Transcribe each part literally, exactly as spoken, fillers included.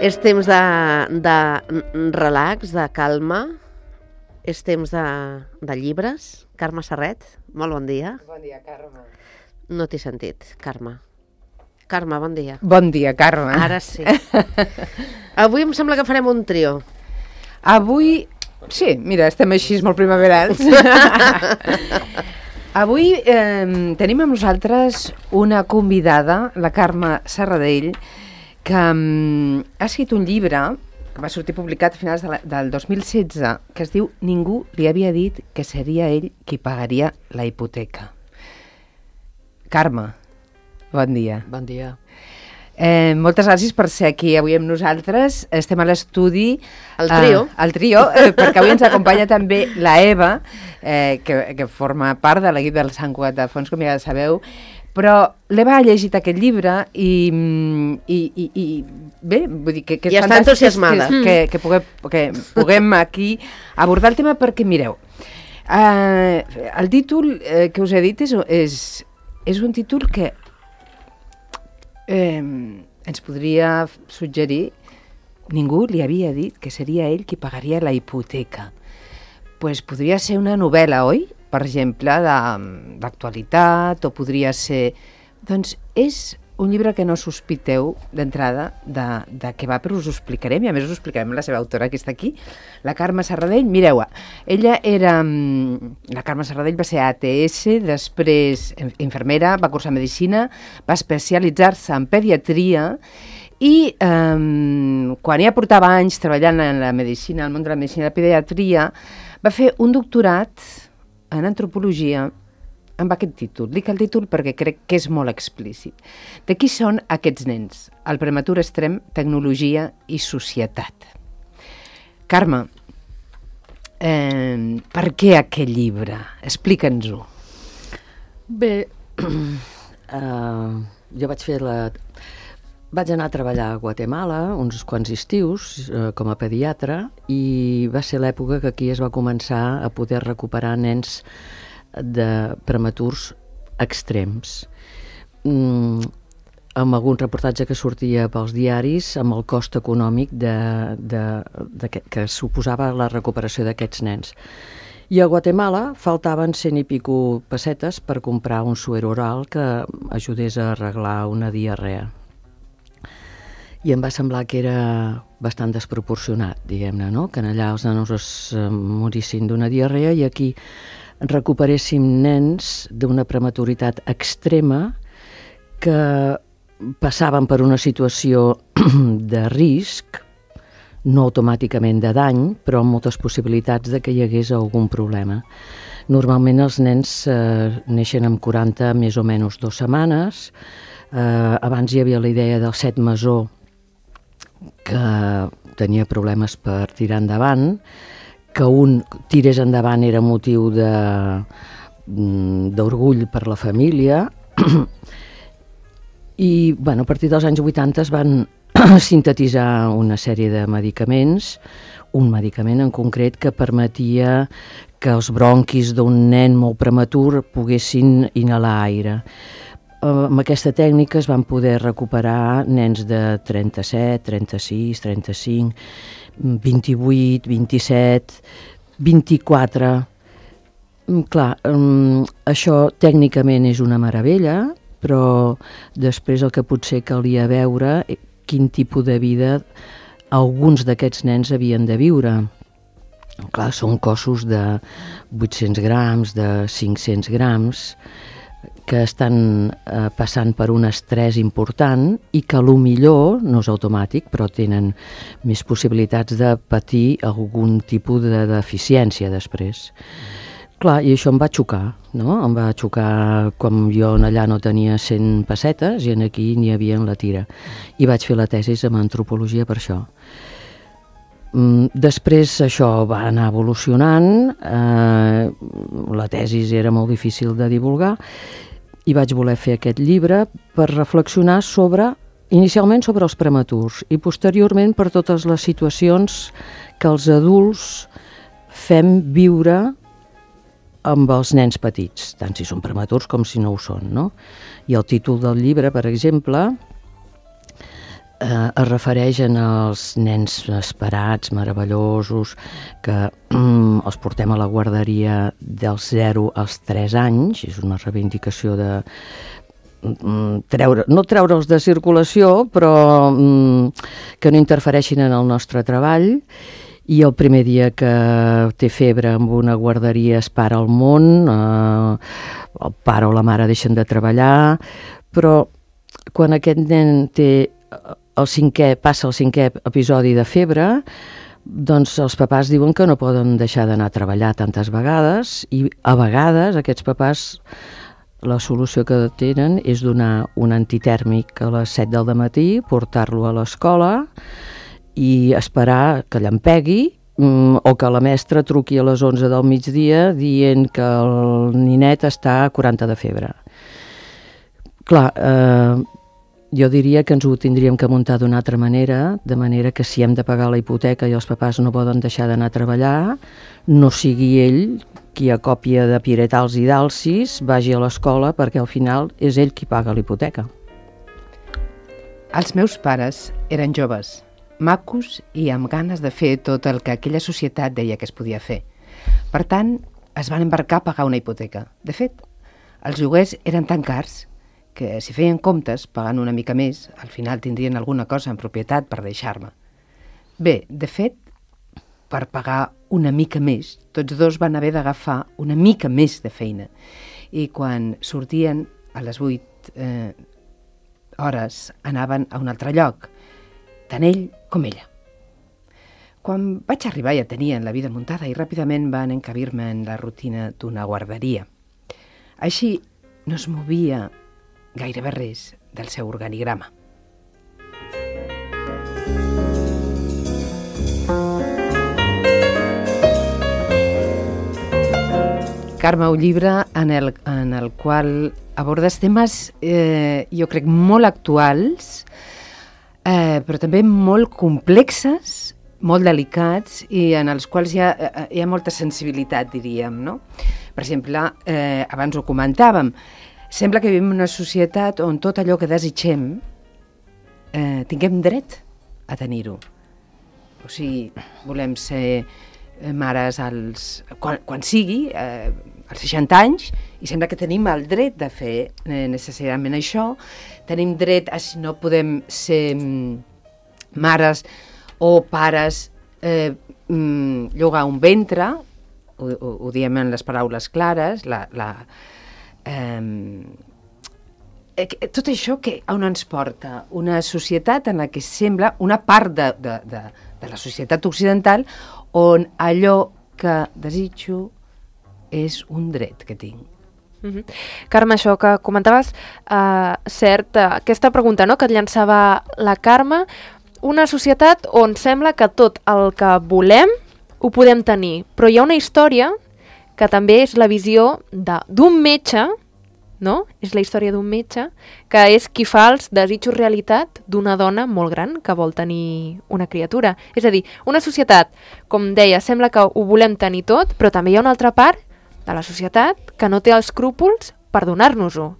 És temps de, de relax, de calma, és temps de, de llibres. Carme Serret, molt bon dia. Bon dia, Carme. No t'he sentit, Carme. Carme, bon dia. Bon dia, Carme. Ara sí. Avui em sembla que farem un trio. Avui, sí, mira, estem així molt primaverals. Avui eh, tenim amb nosaltres una convidada, la Carme Serradell, que um, ha escrit un llibre que va sortir publicat a finals de la, del dos mil setze, que es diu Ningú li havia dit que seria ell qui pagaria la hipoteca. Carme, bon dia. Bon dia. Eh, moltes gràcies per ser aquí avui amb nosaltres. Estem a l'estudi. El trio. Eh, el trio, eh, perquè avui ens acompanya també la Eva, eh, que, que forma part de l'equip del Sant Cugat de Fons, com ja sabeu. Però l'Eva ha llegit aquest llibre i, i, i, i bé, vull dir que, que és I està entusiasmada. Que, que, que, puguem, que puguem aquí abordar el tema perquè, mireu, eh, el títol eh, que us he dit és, és, és un títol que eh, ens podria suggerir: ningú li havia dit que seria ell qui pagaria la hipoteca. Pues podria ser una novel·la, oi? Per exemple, d'actualitat, o podria ser... Doncs és un llibre que no sospiteu d'entrada de, de què va, però us ho explicarem, i a més us ho explicarem la seva autora, que està aquí, la Carme Serradell. Mireu-la, ella era... La Carme Serradell va ser A T S, després infermera, va cursar medicina, va especialitzar-se en pediatria, i eh, quan ja portava anys treballant en la medicina, al món de la medicina i la pediatria, va fer un doctorat en antropologia amb aquest títol. Dic el títol perquè crec que és molt explícit. De qui són aquests nens? El prematur extrem, tecnologia i societat. Carme, eh, per què aquest llibre? Explica'ns-ho. Bé, uh, jo vaig fer la... Vaig anar a treballar a Guatemala uns quants estius eh, com a pediatra, i va ser l'època que aquí es va començar a poder recuperar nens de prematurs extrems. Mm, amb algun reportatge que sortia pels diaris, amb el cost econòmic de, de, de, que, que suposava la recuperació d'aquests nens. I a Guatemala faltaven cent i pico pessetes per comprar un suero oral que ajudés a arreglar una diarrea. I em va semblar que era bastant desproporcionat, diguem-ne, no? Que allà els nanos es morissin d'una diarrea i aquí recuperéssim nens d'una prematuritat extrema que passaven per una situació de risc, no automàticament de dany, però amb moltes possibilitats de que hi hagués algun problema. Normalment els nens eh, neixen amb quaranta més o menys dues setmanes. Eh, abans hi havia la idea del set mesó, que tenia problemes per tirar endavant, que un tirés endavant era motiu de, d'orgull per la família, i bueno, a partir dels anys vuitanta es van sintetitzar una sèrie de medicaments, un medicament en concret que permetia que els bronquis d'un nen molt prematur poguessin inhalar aire. Amb aquesta tècnica es van poder recuperar nens de trenta-set, trenta-sis, trenta-cinc, vint-i-vuit, vint-i-set, vint-i-quatre... Clar, això tècnicament és una meravella, però després el que potser calia veure quin tipus de vida alguns d'aquests nens havien de viure. Clar, són cossos de vuit-cents grams, de cinc-cents grams, que estan eh, passant per un estrès important i que a lo millor, no és automàtic, però tenen més possibilitats de patir algun tipus de deficiència després. Clar, i això em va xocar, no? Em va xocar com jo allà no tenia cent pessetes i aquí n'hi havia en la tira. I vaig fer la tesi amb antropologia per això. Després això va anar evolucionant, eh, la tesi era molt difícil de divulgar, i vaig voler fer aquest llibre per reflexionar sobre, inicialment sobre els prematurs, i posteriorment per totes les situacions que els adults fem viure amb els nens petits, tant si són prematurs com si no ho són, no? I el títol del llibre, per exemple, eh, es refereix als nens esperats, meravellosos, que mm, els portem a la guarderia dels zero als tres anys, és una reivindicació de treure, no treure'ls de circulació, però mm, que no interfereixin en el nostre treball, i el primer dia que té febre en una guarderia es para el món, eh, el pare o la mare deixen de treballar, però quan aquest nen té el cinquè, passa el cinquè episodi de febre, doncs els papàs diuen que no poden deixar d'anar a treballar tantes vegades, i a vegades aquests papàs la solució que tenen és donar un antitèrmic a les set del matí, portar-lo a l'escola i esperar que llampegui o que la mestra truqui a les onze del migdia dient que el ninet està a quaranta de febre. Clar, eh, jo diria que ens ho tindríem que muntar d'una altra manera, de manera que si hem de pagar la hipoteca i els papàs no poden deixar d'anar a treballar, no sigui ell qui a còpia de piretals i d'alcis vagi a l'escola, perquè al final és ell qui paga l'hipoteca. Els meus pares eren joves, macos i amb ganes de fer tot el que aquella societat deia que es podia fer. Per tant, es van embarcar a pagar una hipoteca. De fet, els lloguers eren tan cars que si feien comptes, pagant una mica més, al final tindrien alguna cosa en propietat per deixar-me. Bé, de fet, per pagar una mica més, tots dos van haver d'agafar una mica més de feina. I quan sortien a les vuit eh, hores anaven a un altre lloc, tant ell com ella. Quan vaig arribar ja tenien la vida muntada i ràpidament van encabir-me en la rutina d'una guarderia. Així no es movia gairebé res del seu organigrama. Carme, un llibre en el, en el qual abordes temes, eh, jo crec, molt actuals, eh, però també molt complexes, molt delicats, i en els quals hi ha, hi ha molta sensibilitat, diríem, no? Per exemple, eh, abans ho comentàvem, sembla que vivim en una societat on tot allò que desitgem eh, tinguem dret a tenir-ho. O sigui, volem ser mares als, quan, quan sigui, eh, als seixanta anys, i sembla que tenim el dret de fer eh, necessàriament això. Tenim dret a, si no podem ser mm, mares o pares, eh, mm, llogar un ventre, ho, ho, ho diem en les paraules clares, la... la eh, tot això que on ens porta? Una societat en la que sembla una part de, de, de, de la societat occidental on allò que desitjo és un dret que tinc. Mm-hmm. Carme, això que comentaves, uh, cert, uh, aquesta pregunta, no?, que et llançava la Carme, una societat on sembla que tot el que volem ho podem tenir, però hi ha una història que també és la visió d'un metge, no? És la història d'un metge que és qui fa els desitjos realitat d'una dona molt gran que vol tenir una criatura. És a dir, una societat, com deia, sembla que ho volem tenir tot, però també hi ha una altra part de la societat que no té els escrúpols per donar-nos-ho.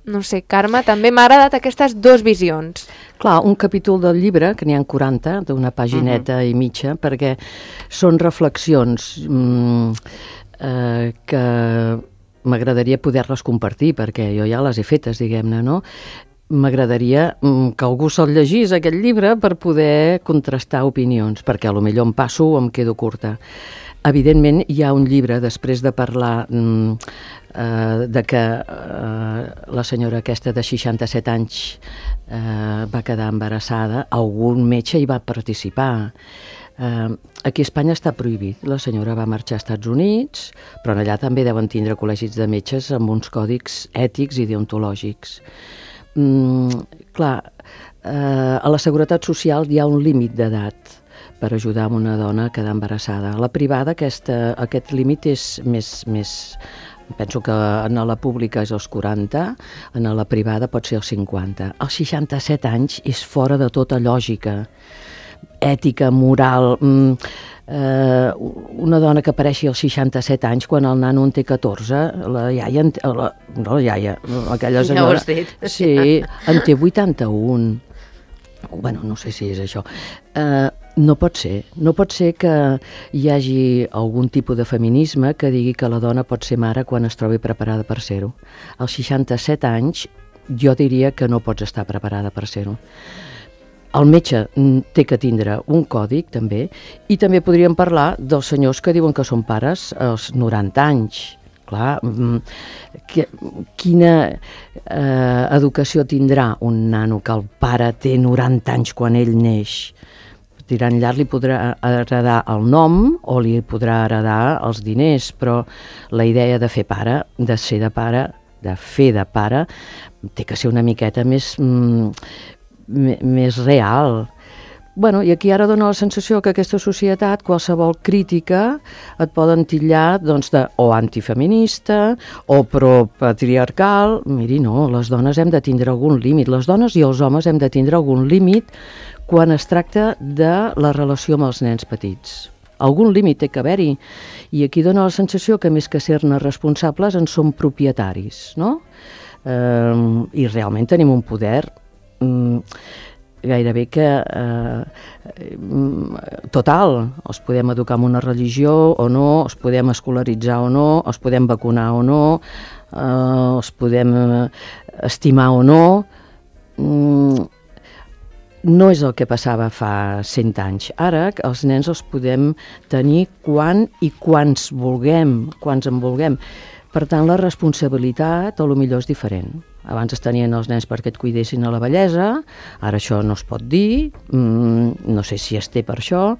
No sé, Carme, també m'ha agradat aquestes dues visions. Clar, un capítol del llibre, que n'hi ha quaranta, d'una pagineta uh-huh. i mitja, perquè són reflexions mm, eh, que m'agradaria poder-les compartir, perquè jo ja les he fetes, diguem-ne, no? M'agradaria que algú se'l llegís, aquest llibre, per poder contrastar opinions, perquè a lo millor em passo o em quedo curta. Evidentment, hi ha un llibre, després de parlar mm, eh, de que eh, la senyora aquesta de seixanta-set anys eh, va quedar embarassada, algun metge hi va participar. Eh, aquí a Espanya està prohibit. La senyora va marxar als Estats Units, però allà també deuen tindre col·legis de metges amb uns còdics ètics i deontològics. Mm, clar, eh, a la Seguretat Social hi ha un límit d'edat per ajudar a una dona a quedar embarassada. A la privada aquesta, aquest límit és més, més... Penso que en la pública és els quaranta, en la privada pot ser els cinquanta. Als seixanta-set anys és fora de tota lògica, ètica, moral. Mm, eh, una dona que apareixi als seixanta-set anys quan el nano en té catorze, la iaia, la, no la iaia, aquella senyora... Ja ho has dit. Sí, en té vuitanta-un. bueno, no sé si és això. Uh, no pot ser. No pot ser que hi hagi algun tipus de feminisme que digui que la dona pot ser mare quan es trobi preparada per ser-ho. Als seixanta-set anys jo diria que no pots estar preparada per ser-ho. El metge té que tindre un còdic, també, i també podríem parlar dels senyors que diuen que són pares als noranta anys. Clar, que, quina eh, educació tindrà un nano que el pare té noranta anys quan ell neix? Tirant llarg li podrà heredar el nom o li podrà heredar els diners, però la idea de fer pare, de ser de pare, de fer de pare, té que ser una miqueta més, mm, més real. Bueno, i aquí ara dona la sensació que aquesta societat, qualsevol crítica, et poden titllar doncs, de, o antifeminista o pro-patriarcal. Miri, no, les dones hem de tindre algun límit. Les dones i els homes hem de tindre algun límit quan es tracta de la relació amb els nens petits. Algun límit té que haver-hi. I aquí dona la sensació que més que ser-ne responsables en som propietaris, no? Eh, I realment tenim un poder mm, gairebé que eh, total. Els podem educar en una religió o no, els podem escolaritzar o no, els podem vacunar o no, eh, els podem estimar o no. Mm, no és el que passava fa cent anys. Ara els nens els podem tenir quan i quants vulguem, quants en vulguem. Per tant, la responsabilitat a lo millor és diferent. Abans es tenien els nens perquè et cuidessin a la vellesa, ara això no es pot dir, mm, no sé si es té per això,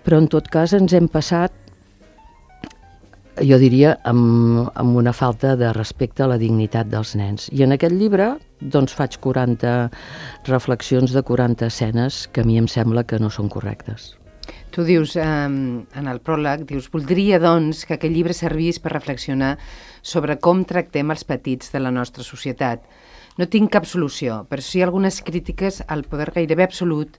però en tot cas ens hem passat, jo diria, amb, amb una falta de respecte a la dignitat dels nens. I en aquest llibre doncs, faig quaranta reflexions de quaranta escenes que a mi em sembla que no són correctes. Tu dius, eh, en el pròleg, dius, voldria, doncs, que aquest llibre servís per reflexionar sobre com tractem els petits de la nostra societat. No tinc cap solució, però sí algunes crítiques al poder gairebé absolut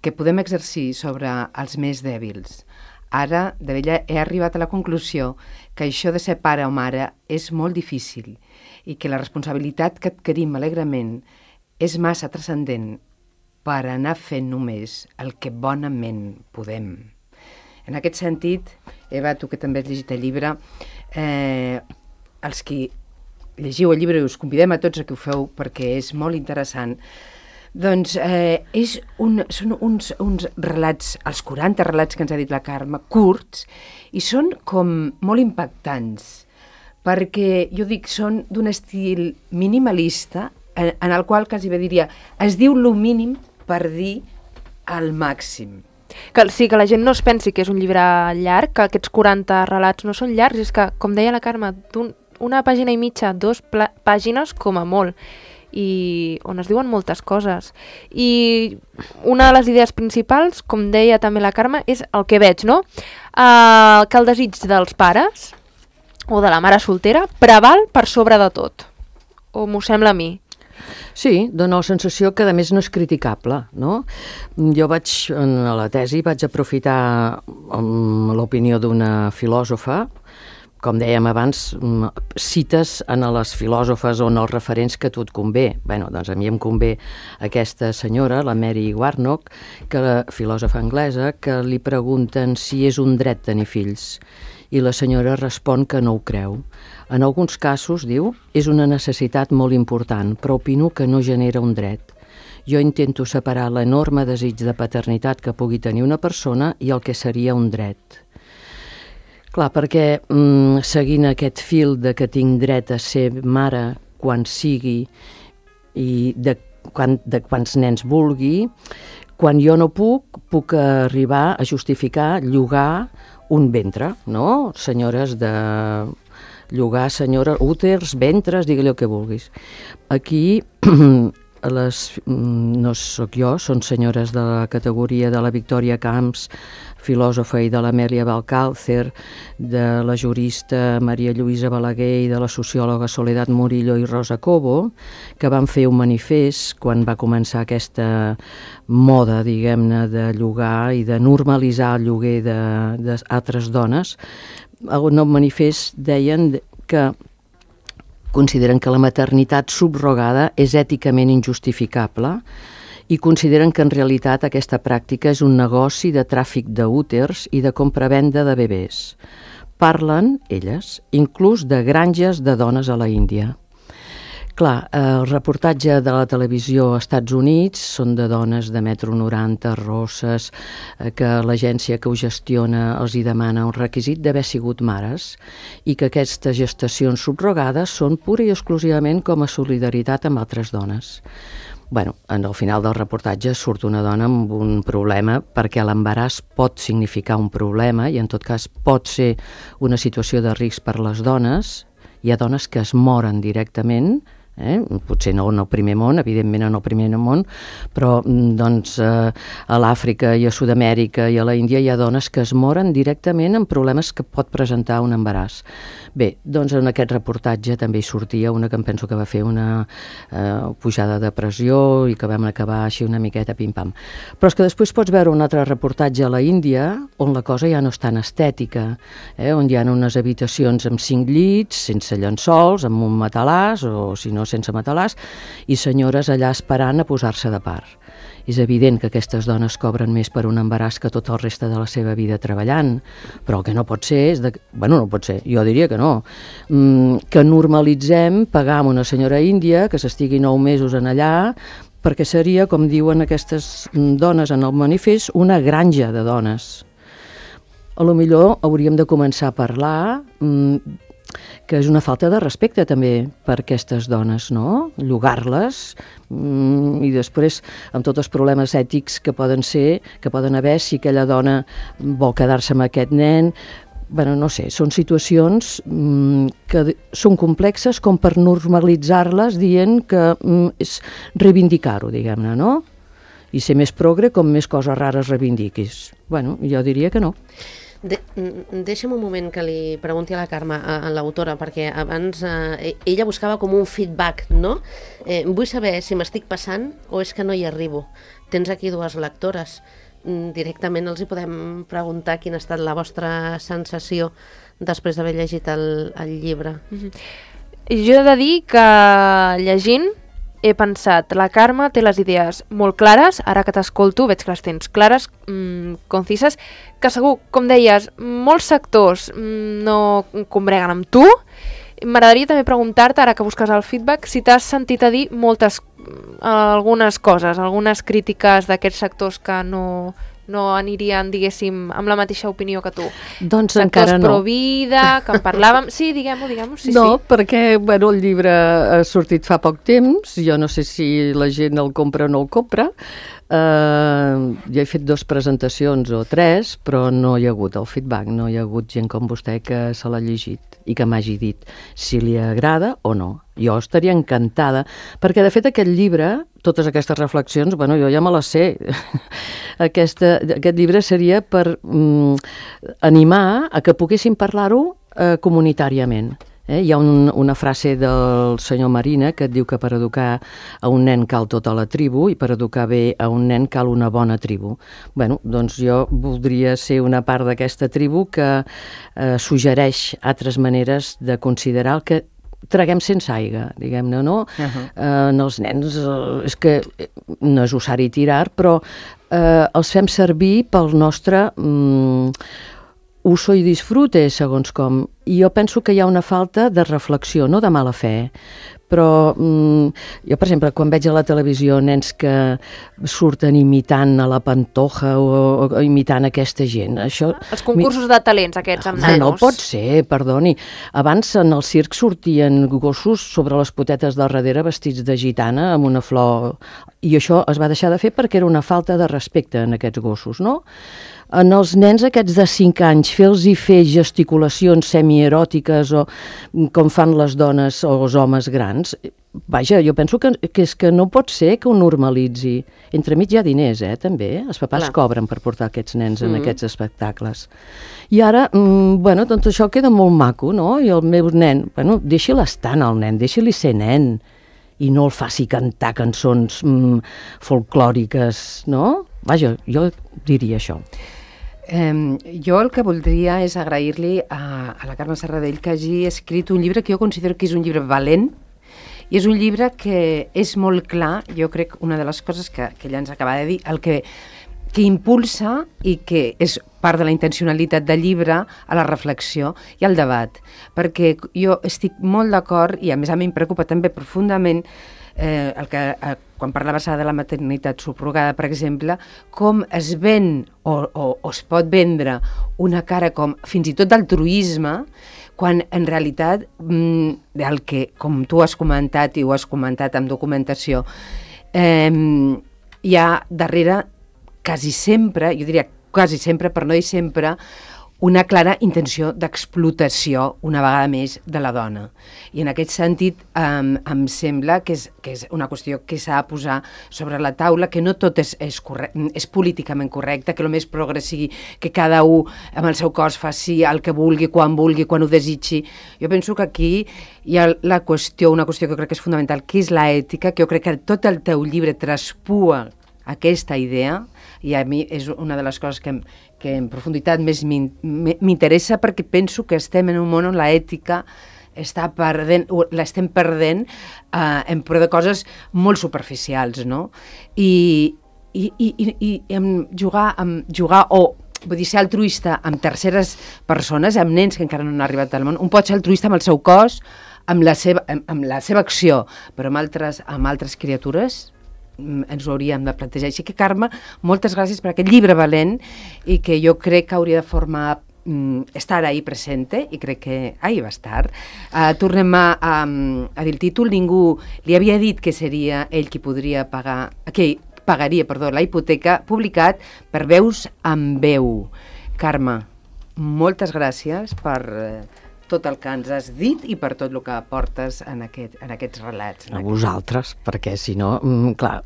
que podem exercir sobre els més dèbils. Ara, de vella, he arribat a la conclusió que això de ser pare o mare és molt difícil i que la responsabilitat que adquirim alegrement és massa transcendent per anar fent només el que bonament podem. En aquest sentit, Eva, tu que també has llegit el llibre, eh, els que llegiu el llibre i us convidem a tots a que ho feu perquè és molt interessant, doncs eh, és un, són uns, uns relats, els quaranta relats que ens ha dit la Carme, curts, i són com molt impactants, perquè jo dic, són d'un estil minimalista, en, en el qual quasi bé diria, es diu lo mínim per dir al màxim. Que, sí, que la gent no es pensi que és un llibre llarg, que aquests quaranta relats no són llargs, és que, com deia la Carme, una pàgina i mitja, dos pàgines com a molt, i on es diuen moltes coses. I una de les idees principals, com deia també la Carme, és el que veig, no? Uh, que el desig dels pares o de la mare soltera preval per sobre de tot. O m'ho sembla a mi. Sí, dona la sensació que a més no és criticable, no? Jo vaig, en la tesi, vaig aprofitar l'opinió d'una filòsofa, com dèiem abans, cites en les filòsofes o en els referents que a tu et convé. Bé, doncs a mi em convé aquesta senyora, la Mary Warnock, que la filòsofa anglesa, que li pregunten si és un dret tenir fills. I la senyora respon que no ho creu. En alguns casos, diu, és una necessitat molt important, però opino que no genera un dret. Jo intento separar l'enorme desig de paternitat que pugui tenir una persona i el que seria un dret. Clar, perquè mm, seguint aquest fil de que tinc dret a ser mare quan sigui i de, quan, de quants nens vulgui, quan jo no puc, puc arribar a justificar llogar un ventre, no? Senyores de llogar, senyores, úters, ventres, digue-li el que vulguis. Aquí, les, no sóc jo, són senyores de la categoria de la Victòria Camps, filòsofa, i de l'Amèlia Valcàlcer, de la jurista Maria Lluïsa Balaguer i de la sociòloga Soledad Murillo i Rosa Cobo, que van fer un manifest quan va començar aquesta moda, diguem-ne, de llogar i de normalitzar el lloguer d'altres dones. El nou manifest deien que consideren que la maternitat subrogada és èticament injustificable i consideren que en realitat aquesta pràctica és un negoci de tràfic d'úters i de compra-venda de bebès. Parlen, elles, inclús de granges de dones a la Índia. Clar, el reportatge de la televisió als Estats Units són de dones de metro noranta, rosses, que l'agència que ho gestiona els hi demana un requisit d'haver sigut mares i que aquestes gestacions subrogades són pura i exclusivament com a solidaritat amb altres dones. Bueno, en el final del reportatge surt una dona amb un problema perquè l'embaràs pot significar un problema i en tot cas pot ser una situació de risc per les dones. Hi ha dones que es moren directament, Eh? potser no en el primer món, evidentment en el primer món, però doncs, eh, a l'Àfrica i a Sud-amèrica i a la Índia hi ha dones que es moren directament amb problemes que pot presentar un embaràs. Bé, doncs en aquest reportatge també hi sortia una que em penso que va fer una eh, pujada de pressió i que vam acabar així una miqueta pim-pam. Però és que després pots veure un altre reportatge a la Índia on la cosa ja no és tan estètica, eh? on hi ha unes habitacions amb cinc llits, sense llençols, amb un matalàs o si no sense matalàs, i senyores allà esperant a posar-se de part. És evident que aquestes dones cobren més per un embaràs que tot el reste de la seva vida treballant, però el que no pot ser és... De... Bueno, no pot ser, jo diria que no. Mm, que normalitzem pagar a una senyora índia que s'estigui nou mesos en allà, perquè seria, com diuen aquestes dones en el manifest, una granja de dones. A lo millor hauríem de començar a parlar... Mm, que és una falta de respecte també per aquestes dones, no? Llogar-les mm, i després amb tots els problemes ètics que poden ser, que poden haver si aquella dona vol quedar-se amb aquest nen. Bueno, no sé, són situacions mm, que són complexes com per normalitzar-les dient que mm, és reivindicar-ho, diguem-ne, no? I ser més progre com més coses rares reivindiquis. Bueno, jo diria que no. De, deixa'm un moment que li pregunti a la Carme, a, a l'autora, perquè abans eh, ella buscava com un feedback, no? Eh, vull saber si m'estic passant o és que no hi arribo. Tens aquí dues lectores. Directament els hi podem preguntar quina ha estat la vostra sensació després d'haver llegit el, el llibre. Mm-hmm. Jo he de dir que llegint he pensat, la Carme té les idees molt clares, ara que t'escolto veig que les tens clares, mmm, concises, que segur, com deies, molts sectors mmm, no combreguen amb tu. M'agradaria també preguntar-te, ara que busques el feedback, si t'has sentit a dir moltes, algunes coses, algunes crítiques d'aquests sectors que no, no anirien, diguéssim, amb la mateixa opinió que tu. Doncs sectors encara no. Pro-vida, que en parlàvem... Sí, diguem-ho, diguem-ho, sí, no, sí. perquè bueno, el llibre ha sortit fa poc temps, jo no sé si la gent el compra o no el compra. Uh, jo he fet dues presentacions o tres, però no hi ha hagut el feedback, no hi ha hagut gent com vostè que se l'ha llegit i que m'hagi dit si li agrada o no. Jo estaria encantada, perquè de fet aquest llibre, totes aquestes reflexions, bueno, jo ja me les sé. Aquesta, aquest llibre seria per mm, animar a que poguéssim parlar-ho eh, comunitàriament. Eh? Hi ha un, una frase del senyor Marina que et diu que per educar a un nen cal tota la tribu i per educar bé a un nen cal una bona tribu. Bueno, doncs jo voldria ser una part d'aquesta tribu que eh, suggereix altres maneres de considerar el que traguem sense aigua, diguem-ne, no? Uh-huh. Eh, en els nens eh, és que no és usar-hi tirar, però eh, els fem servir pel nostre mm, uso i disfrute, segons com. I jo penso que hi ha una falta de reflexió, no de mala fe, però mm, jo, per exemple, quan veig a la televisió nens que surten imitant a la Pantoja o, o imitant aquesta gent, això... Els concursos de talents, aquests amb nanos. nanos. No pot ser, perdoni. Abans en el circ sortien gossos sobre les potetes del darrere vestits de gitana amb una flor, i això es va deixar de fer perquè era una falta de respecte en aquests gossos, no? En els nens aquests de cinc anys, fer-los-hi fer gesticulacions semieròtiques o com fan les dones o els homes grans, vaja, jo penso que, que és que no pot ser que ho normalitzi. Entremig hi ha diners, eh, també. Els papàs Clar. cobren per portar aquests nens en mm. aquests espectacles. I ara, mm, bueno, doncs això queda molt maco, no? I el meu nen, bueno, deixi-li estar al nen, deixi-li ser nen i no el faci cantar cançons mm, folclòriques, no? Vaja, jo diria això. Um, jo el que voldria és agrair-li a, a la Carme Serradell que hagi escrit un llibre que jo considero que és un llibre valent I és un llibre que és molt clar, jo crec, una de les coses que, que ella ens acaba de dir, el que, que impulsa i que és part de la intencionalitat del llibre a la reflexió i al debat. Perquè jo estic molt d'acord, i a més a mi em preocupa també profundament, eh, el que, eh, quan parlaves ara de la maternitat subrogada, per exemple, com es ven o, o, o es pot vendre una cara com fins i tot d'altruisme, quan en realitat mm, el que, com tu has comentat i ho has comentat amb documentació, eh, hi ha darrere quasi sempre, jo diria quasi sempre, per no dir sempre, una clara intenció d'explotació, una vegada més, de la dona. I en aquest sentit um, em sembla que és, que és una qüestió que s'ha de posar sobre la taula, que no tot és, és, correcte, és políticament correcte, que el més progre sigui que cada un amb el seu cos faci el que vulgui, quan vulgui, quan ho desitgi. Jo penso que aquí hi ha la qüestió, una qüestió que crec que és fonamental, que és l'ètica, que jo crec que tot el teu llibre traspua aquesta idea, i a mi és una de les coses que, que en profunditat més m'interessa, perquè penso que estem en un món on l'ètica està perdent, l'estem perdent eh, en pro de coses molt superficials, no? I, i, i, i, i amb jugar, amb jugar o vull dir, ser altruista amb terceres persones, amb nens que encara no han arribat al món, un pot ser altruista amb el seu cos, amb la seva, amb, amb la seva acció, però amb altres, amb altres criatures ens ho hauríem de plantejar. Així que, Carme, moltes gràcies per aquest llibre valent i que jo crec que hauria de formar mm, estar ahí presente, i crec que ahí va estar. Uh, tornem a, a, a dir el títol. Ningú li havia dit que seria ell qui podria pagar, que pagaria, perdó, la hipoteca, publicat per Veus amb Veu. Carme, moltes gràcies per eh, tot el que ens has dit i per tot el que portes en, aquest, en aquests relats. A vosaltres, perquè si no, mm, clar,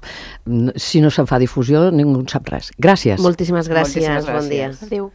si no se'n fa difusió ningú en sap res. Gràcies. Moltíssimes gràcies, Moltíssimes gràcies. Bon dia. Adéu.